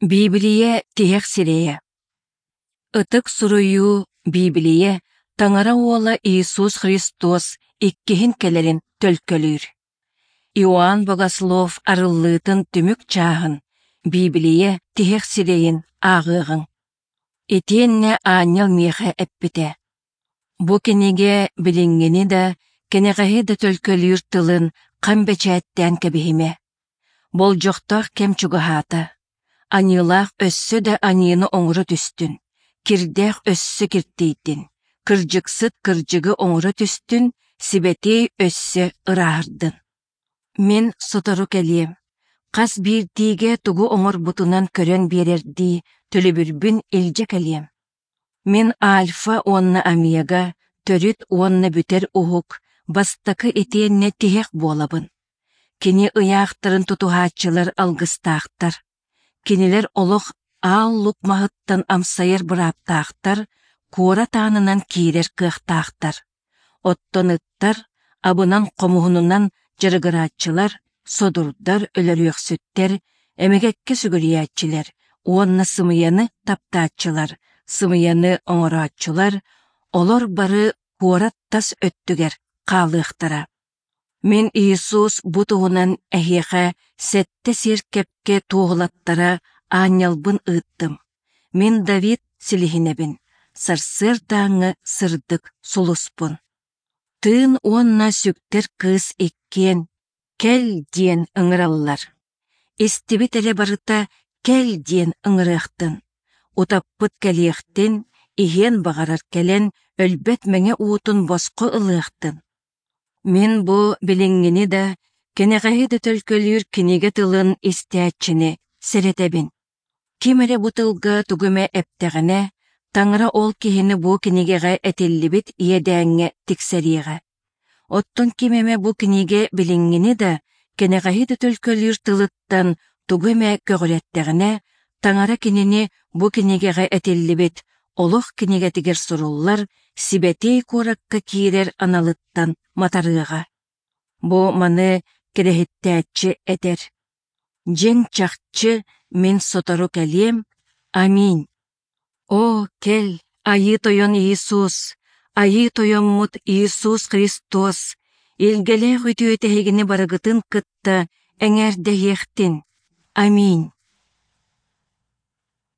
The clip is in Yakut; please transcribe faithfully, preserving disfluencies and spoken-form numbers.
Биибилийэ тиһэх сирэйэ. Ытык Суруйуу Биибилийэ Таҥара Уола Иисус Христос иккиһин кэлэрин төлкөлүүр. Иоанн Богослов арыллыытын түмүк чааһын, Биибилийэ тиһэх сирэйин ааҕыаҕыҥ. Итиэннэ аанньал миэхэ эппитэ: «Бу кинигэ билиҥҥини да, кэнэҕэһи да төлкөлүүр тылын хам бэчээттээн кэбиһимэ. Болдьохтоох кэм чугаһаата. Аньыылаах өссө да аньыыны оҥоро түстүн, кирдээх өссө киртийдин, кырдьыксыт кырдьыгы оҥоро түстүн, сибэтиэй өссө ырааһырдын. Мин сотору кэлиэм, хас биирдиигэ тугу оҥорбутунан көрөн биэрэрдии төлөбүрбүн илдьэ кэлиэм. Мин Альфа уонна Омега, төрүт уонна бүтэр уһук, бастакы итиэннэ тиһэх буолабын. Кини ыйаахтарын тутуһааччылар алгыстаахтар. Кинилэр олох аал лук маһыттан амсайар бырааптаахтар, куорат аанынан киирэр кыахтаахтар. Оттон ыттар, абынан-хомуһунунан дьарыгырааччылар, содурдар, өлөрүөхсүттэр, эмэгэккэ сүгүрүйээччилэр уонна сымыйаны таптааччылар, сымыйаны оҥорооччулар, олор бары куорат тас өттүгэр хаалыахтара. Мин Иисус бу туһунан эһиэхэ сэттэ сиэркэпкэ туоһулаттара аанньалбын ыыттым. Мин Давид силиһинэбин, сарсыардааҥҥы сырдык сулуспун. Тыын уонна сүктэр кыыс иккиэн «Кэл» диэн ыҥыраллар. Истибит эрэ барыта «Кэл» диэн ыҥырыахтын. Утаппыт кэлиэхтин, иһиэн баҕарар кэлэн өлбөт мэҥэ уутун босхо ылыахтын. Мин бу билиҥҥини да, кэнэҕэһи да төлкөлүүр кинигэ тылын истээччини сэрэтэбин. Ким эрэ бу тылга тугу эмэ эптэҕинэ, Таҥара ол киһини бу кинигэҕэ этиллибит иэдээҥҥэ тиксэриэҕэ. Оттон ким эмэ бу кинигэ билиҥҥини да, кэнэҕэһи да төлкөлүүр тылыттан тугу эмэ көҕүрэттэҕинэ, Таҥара кинини бу кинигэҕэ этиллибит олох кинигэтигэр суруллар сибэтиэй куоракка киирэр аналыттан матарыаҕа. Бу маны кэрэһиттээччи этэр: Дьиҥ чахчы мин сотору кэлиэм, аминь. О, кэл, Айыы Тойон Иисус, Айыы Тойоммут Иисус Христос, илгэлээх үтүөтэ эһигини барыгытын кытта эҥээрдэһиэхтин. Аминь.